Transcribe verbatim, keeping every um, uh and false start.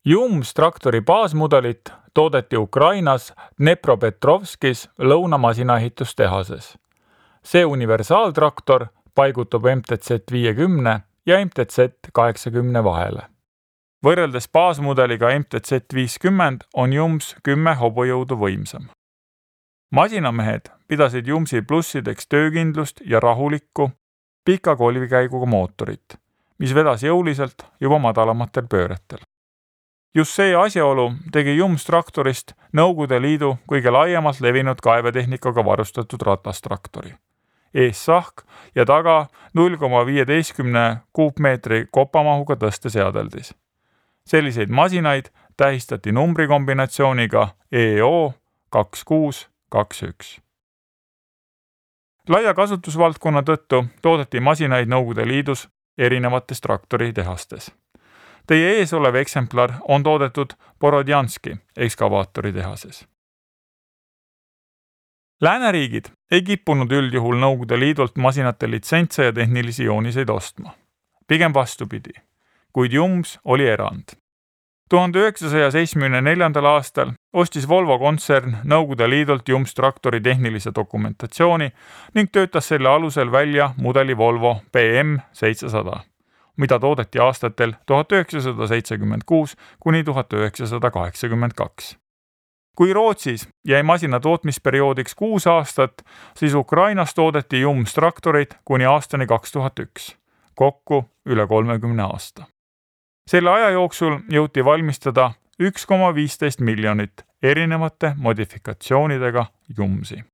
Jums traktori baasmudelit toodeti Ukrainas Dnepropetrovskis lõunamasinaehitustehases. See universaaltraktor paigutub M T Z viiekümne ja M T Z kaheksakümne vahele. Võrreldes baasmudeliga M T Z viiskümmend on Jums kümme hobujõudu võimsam. Masinamehed pidasid Jumsi plussideks töökindlust ja rahulikku, pika kolvikäiguga mootorit, mis vedas jõuliselt juba madalamatel pööretel. Just see asjaolu tegi Jums traktorist Nõukogude Liidu kõige laiemalt levinud kaevetehnikaga varustatud ratastraktori. Ees sahk ja taga null koma viieteistkümne kuupmeetri kopamahuga tõsteseadeldis. Selliseid masinaid tähistati numbrikombinatsiooniga E O kaks kuus kaks üks. Laia kasutusvaldkonna tõttu toodeti masinaid Nõukogude Liidus erinevates traktoritehastes. Teie ees olev eksemplar on toodetud Borodjanski ekskavaatoritehases. Lääneriigid ei kippunud üldjuhul Nõukogude Liidult masinate litsentse ja tehnilisi jooniseid ostma. Pigem vastupidi, kuid Jums oli erand. tuhande üheksasaja seitsmekümne neljandal aastal ostis Volvo kontsern Nõukogude Liidult Jums traktori tehnilise dokumentatsiooni ning töötas selle alusel välja mudeli Volvo B M seitsesada, mida toodeti aastatel tuhat üheksasada seitsekümmend kuus kuni tuhat üheksasada kaheksakümmend kaks. Kui Rootsis jäi masina tootmisperioodiks kuus aastat, siis Ukrainas toodeti Jums traktorid kuni aastani kaks tuhat üks, kokku üle kolmekümne aasta. Selle aja jooksul jõuti valmistada üks koma viisteist miljonit erinevate modifikatsioonidega Jumsi.